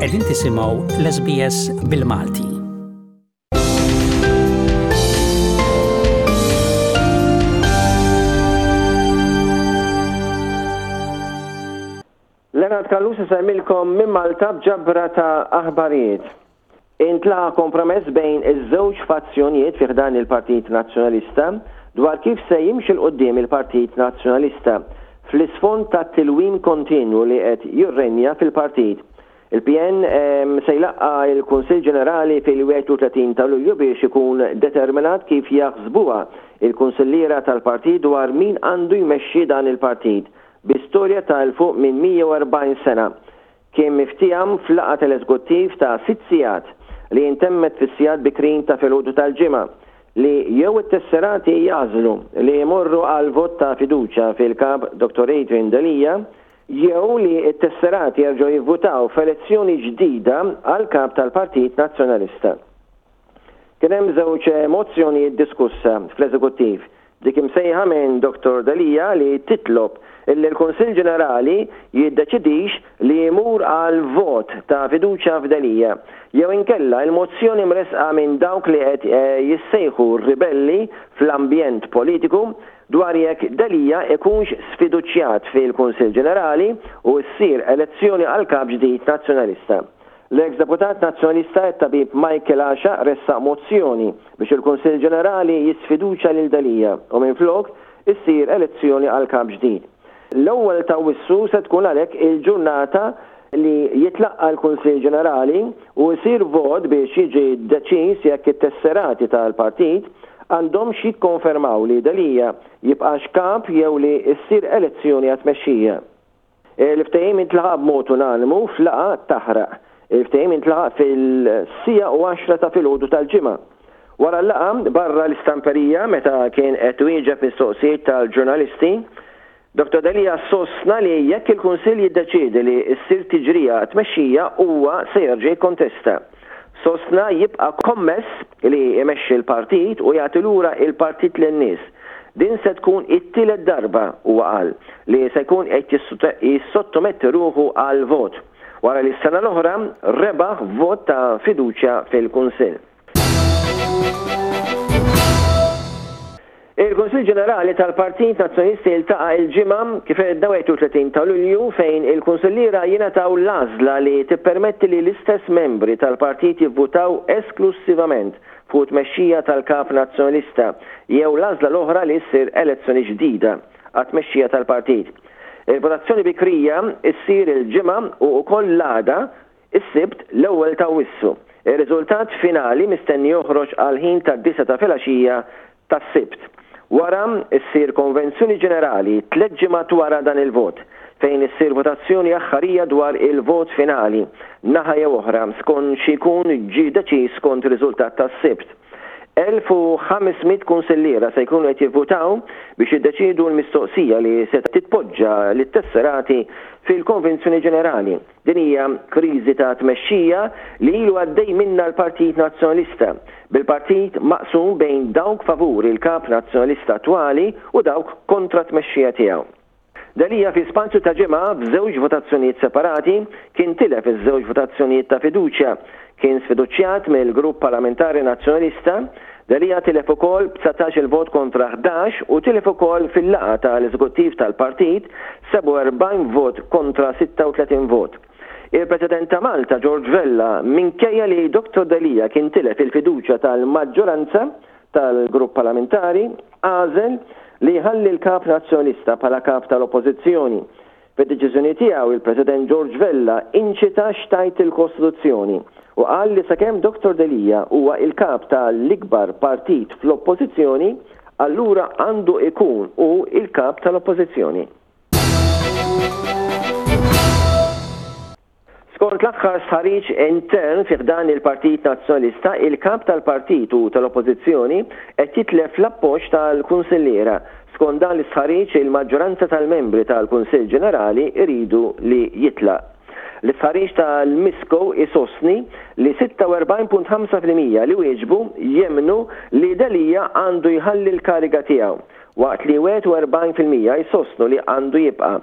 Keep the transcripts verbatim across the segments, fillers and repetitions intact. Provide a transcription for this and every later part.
Qegħdin tisimgħu l-S B S bil-Malti. Leonard Callus isellmilkom minn Malta b'ġabra ta' aħbarijiet. Intlaħaq kompromess bejn iż-żewġ fazzjonijiet fi ħdan il-Partit Nazzjonalista dwar kif se jimxi 'l quddiem il-Partit Nazzjonalista fl-isfond ta' tilwim kontinwu li qed jirrenja fil-partit. Il-P N se jlaqqa il-Kunsill Ġenerali fil-wieħed u tletin ta' Lulju biex ikun determinat kif jaħsbuha il-kunsilliera tal-partit dwar min għandu jmexxi dan il-partit bi storja ta' 'l fuq minn mija u erbgħin sena. Kien miftiehem f'laqgħa tal-eżekuttiv ta' sitt sigħat li intemmet fis-sigħat bikrin ta' filgħodu tal-Ġimgħa li jew it-tesserati jagħżlu li jmorru għal vot ta' fiduċja fil-kap Doktor Adrian Delia jew li t-tesserati jerġgħu jivvutaw f'elezzjoni ġdida għal kap tal-Partit Nazzjonalista. Kien hemm żewġ mozzjonijiet diskussa fl-eżekuttiv. Dik imsejħa minn Doktor Delia li titlob illi l-Kunsill Ġenerali jiddeċidix li jmur għal vot ta' fiduċja f'Delia jew inkella il-mozzjoni mresqa minn dawk li qed eh, jissejħu ribelli fl-ambjent politiku dwar jekk Delia ikunx sfiduċjat fil-Kunsill Ġenerali u ssir elezzjoni għal kap ġdid nazzjonalista. L-ex deputat nazzjonalista it-tabib Michael Axiaq ressaq mozzjoni biex il-Kunsill Ġenerali jisfiduċja lil Delia u minflok issir elezzjoni għal kap ġdid. L-ewwel ta' Awwissu se tkun għalhekk il-ġurnata li jitlaqqa l-Kunsill Ġenerali u jsir vot biex jiġi deċiż jekk it-tesserati tal-partit għandhomx jikkonfermaw li Delia jibqax kap jew li ssir elezzjoni għat-tmexxija. Il-ftehim intlaħaq b'mod unanimu f'laqgħa taħraq. Il-ftehim intlaħaq fis-siegħa u għaxra ta' filgħodu tal-Ġimgħa. Wara l-laqgħa barra l-istamperija, meta kien qed wieġeb mistoqsijiet tal-ġurnalisti, Doktor Delia sostna li jekk il-Kunsill jiddeċiedi li ssir tiġrija tmexxija, huwa se jerġa' jikkontesta. Sostna jibqa' kommess li jmexxi l-partit u jagħti lura il-partit lin-nies. Din se tkun it-tielet darba, huwa qal, li se jkun qed jissottometti ruħu għal vot wara li s-sena l-oħra rebaħ vot ta' fiduċja fil-Kunsill. Il-Kunsill Ġenerali tal-Partit Nazzjonalista jiltaqa' il-Ġimgħa, kif għedna, wieħed u tletin ta' Lulju, fejn il-kunsilliera jingħataw l-għażla li tippermetti li l-istess membri tal-partit jivvutaw esklusivament fuq tmexxija tal-kap nazzjonalista jew l-għażla l-oħra li ssir elezzjoni ġdida għat-tmexxija tal-partit. Il-votazzjoni bikrija ssir il-Ġimgħa u wkoll l-għada, is-Sibt, l-ewwel ta' Awwissu. Ir-riżultat finali mistenni joħroġ għal ħin ta' disgħa ta' filgħaxija tas-Sibt. Wara ssir konvenzjoni ġenerali tliet ġimgħat wara dan il-vot, fejn issir votazzjoni aħħarija dwar il-vot finali, naħa jew oħra, skont xi jkun ġi deċiż skont riżultat tas-Sibt. elf u ħames mitt kunsilliera se jkunu qed jivvutaw biex jiddeċidu l-mistoqsija li se titpoġġa lit-tesserati fil-Konvenzjoni Ġenerali. Din hija kriżi ta' tmexxija li ilu għaddej minna l-Partit Nazzjonalista, bil-partit maqsum bejn dawk favur il-kap nazzjonalista attwali u dawk kontra tmexxija tiegħu. Delia fi spazju ta' ġimgħa, f'żewġ votazzjonijiet separati, kien tilef iż-żewġ votazzjonijiet ta' fiduċja. Kien sfiduċjat mill-Grupp Parlamentari Nazzjonalista. Delia tilef ukoll b'dsatax il-vot kontra ħdax u tilef ukoll fil-laqgħa tal-Eżekuttiv tal-Partit, sebgħa u erbgħin vot kontra sitta u tletin vot. Il-President ta' Malta George Vella, minkejja li Doktor Delia kien tilef il-fiduċja tal-maġġoranza tal-grupp parlamentari, għażel li jħalli l-kap nazzjonalista bħala kap tal-Oppożizzjoni. Fid-deċiżjoni tiegħu, il-President George Vella inċita x'tgħid il-Kostituzzjoni u qal li sakemm Doktor Delia huwa il-kap tal-ikbar partit fl-Oppożizzjoni, allura għandu ikun hu il-kap tal-Oppożizzjoni. Skont l-aħħar stħarriġ intern fi ħdan il-Partit Nazzjonalista, il-kap tal-partit u tal-Oppożizzjoni qed jitlef l-appoġġ tal-kunsilliera. Skont dan l-istħarriġ, il-maġġoranza tal-membri tal-Kunsill Ġenerali iridu li jitlaq. L-istħarriġ tal-Misco isostni li sitta u erbgħin punt ħamsa fil-mija li wieġbu jemmnu li Delia għandu jħalli l-kariga tiegħu, waqt li wieħed u erbgħin fil-mija jsostnu li għandu jibqa'.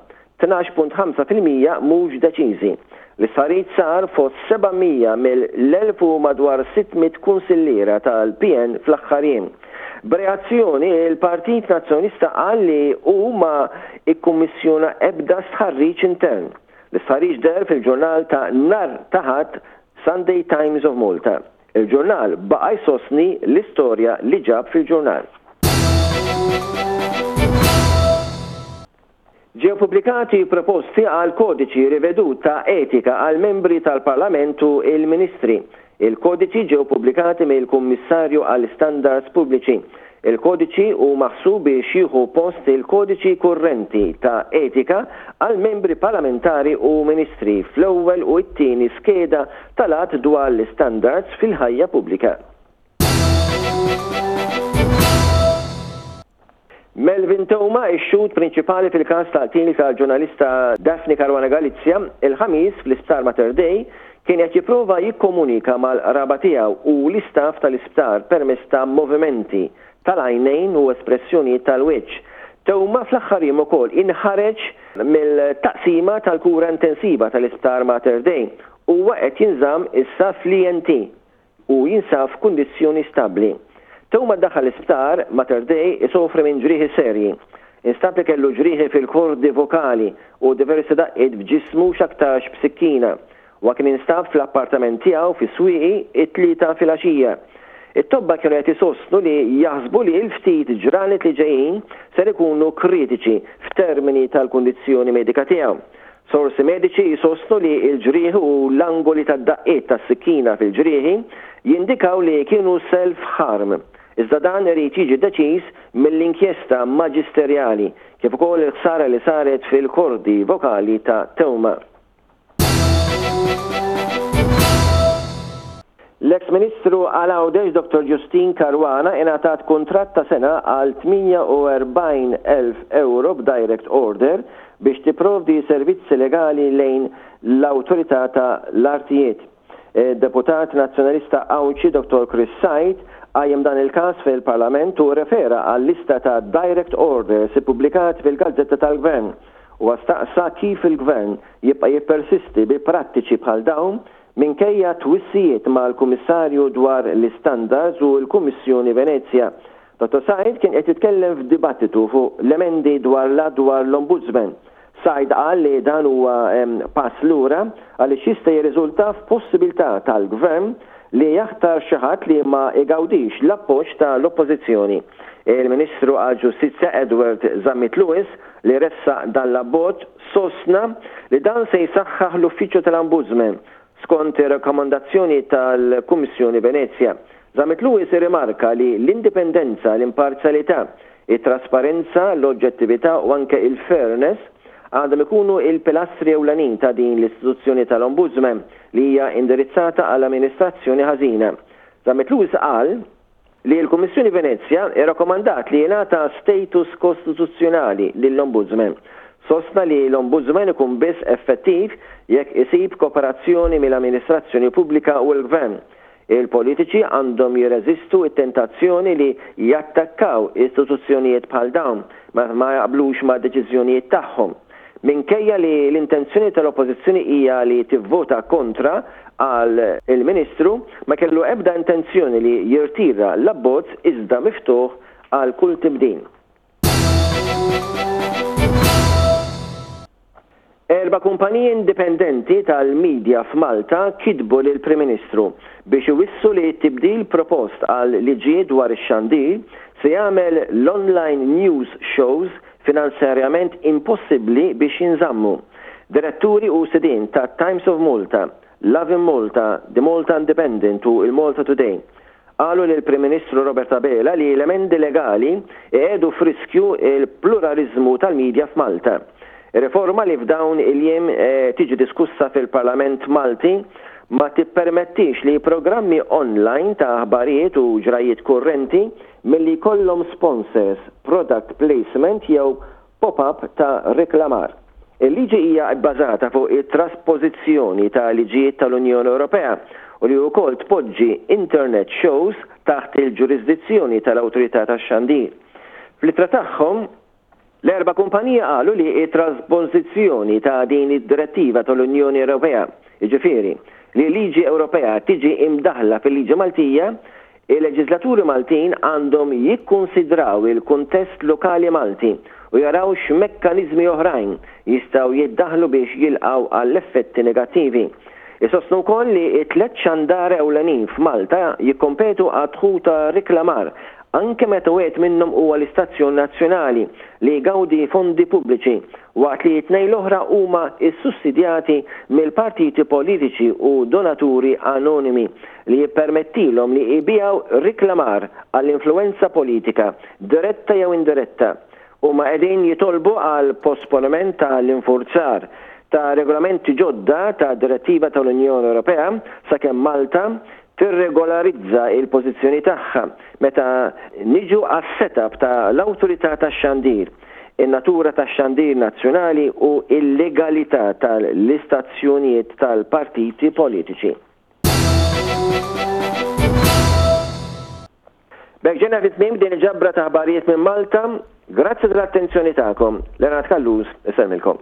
tnax punt ħamsa fil-mija mhux deċiżi. L-istħarriġ sar fost seba' mija mill-elf u madwar sitt mitt kunsilliera tal-P N fl-aħħar jiem. B'reazzjoni, il-Partit Nazzjonalista qal li hu ma ikkummissjona ebda stħarriġ intern. L-istħarriġ deher fil-ġurnal ta' nhar ta' Ħadd Sunday Times of Malta. Il-ġurnal baqa' jsostni l-istorja li ġab fil-ġurnal. Ġew pubblikati proposti għal kodiċi rivedut ta' etika għal membri tal-Parlament u il-Ministri. Il-kodiċi ġew pubblikati mill-Kummissarju għal Standards Pubbliċi. Il-kodiċi hu maħsub biex jieħu post il-kodiċi kurrenti ta' etika għal membri parlamentari u ministri fl-ewwel u t-tieni skeda tal-att dwar l-istandards fil-ħajja pubblika. Melvin Theuma, ix-xhud prinċipali fil-każ tal-qtil tal-ġurnalista Daphne Caruana Galizia, il-Ħamis fl-Isptar Mater Dei kien qed jipprova jikkomunika mal-qraba tiegħu u l-istaff tal-isptar permezz ta' movimenti tal-għajnejn u espressjonijiet tal-wiċċ. Theuma fl-aħħar jiem ukoll inħareġ mill-taqsima tal-kura intensiva tal-Isptar Mater Dei. Huwa qed jinżamm issa fl-E N T u jinsab f'kundizzjoni stabbli. Theuma daħal l-isptar Mater Dei isofri minn ġrieħi serji. Instab li kellu ġrieħi fil-kordi vokali u diversi daqqiet f'ġismu x'aktarx b'sikkina. Huwa kien instab fl-appartament tiegħu fis-Swieqi it-Tlieta filgħaxija. It-tobba kienu qed isostnu li jaħsbu li l-ftit ġranet li ġejjin ser ikunu kritiċi f'termini tal-kundizzjoni medika tiegħu. Sorsi mediċi jsostnu li l-ġrieħi u l-angoli tad-daqqiet tas-sikkina fil-ġrieħi jindikaw li kienu self-harm. Iżda dan irid jiġi deċiż mill-inkjesta maġisterjali kif ukoll il-ħsara li saret fil-kordi vokali ta' Theuma. L-ex-Ministru għal Għawdex Doktor Justyne Caruana ingħatat kuntratt ta' sena għal tmienja u erbgħin elf euro b'direct order biex tipprovdi servizzi legali lejn l-Awtorità ta' l-Artijiet. Deputat Nazzjonalista Għawdxi Doktor Chris Said qajjem dan il-każ fil-Parlament u refera għal lista ta' direct orders ippubblikat fil-Gazzetta tal-Gvern. U staqsa kif il-Gvern jibqa' jippersisti bi prattiċi bħal dawn minkejja twissijiet mal-Kummissarju dwar l-Istandards u l-Kummissjoni Venezja. Doktor Said kien qed jitkellem f'dibattitu fuq l-emendi dwar l-att dwar l-Ombudsman. Said qal li dan huwa, em, pass lura għaliex jista' jirriżulta f'possibilità tal-Gvern li jaħtar xi ħadd li ma igawdix l-appoġġ tal-Oppożizzjoni. Il-Ministru għall-Ġustizzja Edward Zammit Lewis li ressaq dan l-abbozz sostna li dan se jsaħħaħ l-Uffiċċju tal-Ombudsman skont ir-rakkomandazzjoni tal-Kummissjoni Venezja. Zammit Lewis irrimarka li l-indipendenza, l-imparzjalità, it-trasparenza, l-oġġettività u anke il-fairness għandhom ikunu il-pilastri ewlenin ta' din l-istituzzjoni tal-Ombudsman li hija indirizzata għall-amministrazzjoni ħażina. Zammit Lewis qal li l-Kummissjoni Venezja irrakkomandat li jingħata status kostituzzjonali lill-Ombudsman. Sostna li l-Ombudsman ikun biss effettiv jekk isib kooperazzjoni mill-amministrazzjoni pubblika u l-gvern. Il-politiċi għandhom jirreżistu t-tentazzjoni li jattakkaw istituzzjonijiet bħal dawn ma, ma jaqblux ma' deċiżjonijiet tagħhom. Minkejja li l-intenzjoni tal-Oppożizzjoni hija li tivvota kontra għal il-Ministru, ma kellu ebda intenzjoni li jirtira l-abbozz iżda miftuħ għal kull tibdil. Erba' kumpaniji indipendenti tal-medja f'Malta kitbu lill-Prim Ministru biex iwissu li t-tibdil propost għal liġi dwar ix-xandir se jagħmel l-online news shows finanzjarjament impossibbli biex jinżammu. Diretturi u sidien ta' Times of Malta, Lovin Malta, The Malta Independent u il-Malta Today qalu lill-Prim Ministru Robert Abela li l-emendi legali qiegħdu f'riskju il-pluralizmu tal-medja f'Malta. Riforma li f'dawn il-jiem, eh, tiġi diskussa fil-Parlament Malti ma tippermettix li programmi online ta' aħbarijiet u ġrajiet kurrenti milli jkollhom sponsors, product placement jew pop-up ta' reklamar. Il-liġi hija bbażata fuq it-trasposizzjoni ta' liġijiet tal-Unjoni Ewropea u li wkoll tpoġġi internet shows taħt il-ġurisdizzjoni tal-Awtorità tax-Xandir. Fl-ittra tagħhom, l-erba' kumpanija qalu li t-trasposizzjoni ta' din id-direttiva tal-Unjoni Ewropea jiġifieri li liġi Ewropea tiġi imdaħla fil-liġi Maltija, il-leġislaturi Maltin għandhom jikkunsidraw il-kuntest lokali Malti u jaraw x'mekkaniżmi oħrajn jistgħu jiddaħlu biex jilqgħu għall-effetti negattivi. Isostnu wkoll li t-tliet xandara ewlenin f'Malta jikkompetu għad-dħul ta' riklamar anke meta wieħed minnhom huwa l-istazzjon nazzjonali li jgawdi fondi pubbliċi waqt li t-tnejn l-oħra huma ssussidjati mill-partiti politiċi u donaturi anonimi li jippermettilhom li jbigħu riklamar għall-influwenza politika, diretta jew indiretta. Huma qegħdin jitolbu għal posponiment tal-infurzar ta' regolamenti ġodda ta' direttiva tal-Unjoni Ewropea sakemm Malta tirregolarizza il-pożizzjoni tagħha meta niġu għas-setup ta' l-Awtorità tax-Xandir, in-natura tax-xandir nazzjonali u l-legalità tal-istazzjonijiet tal-partiti politiċi. B'hekk ġejna fi tmiem din il-ġabra ta' aħbarijiet minn Malta. Grazzi tal-attenzjoni tagħkom. Leonard Callus isellmilkom.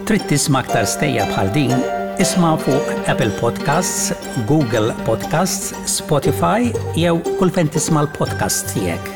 Trid tisma' aktar stejjer bħal din? Isma' fuq Apple Podcasts, Google Podcasts, Spotify jew kull fejn tisma' l-podcasts tiegħek.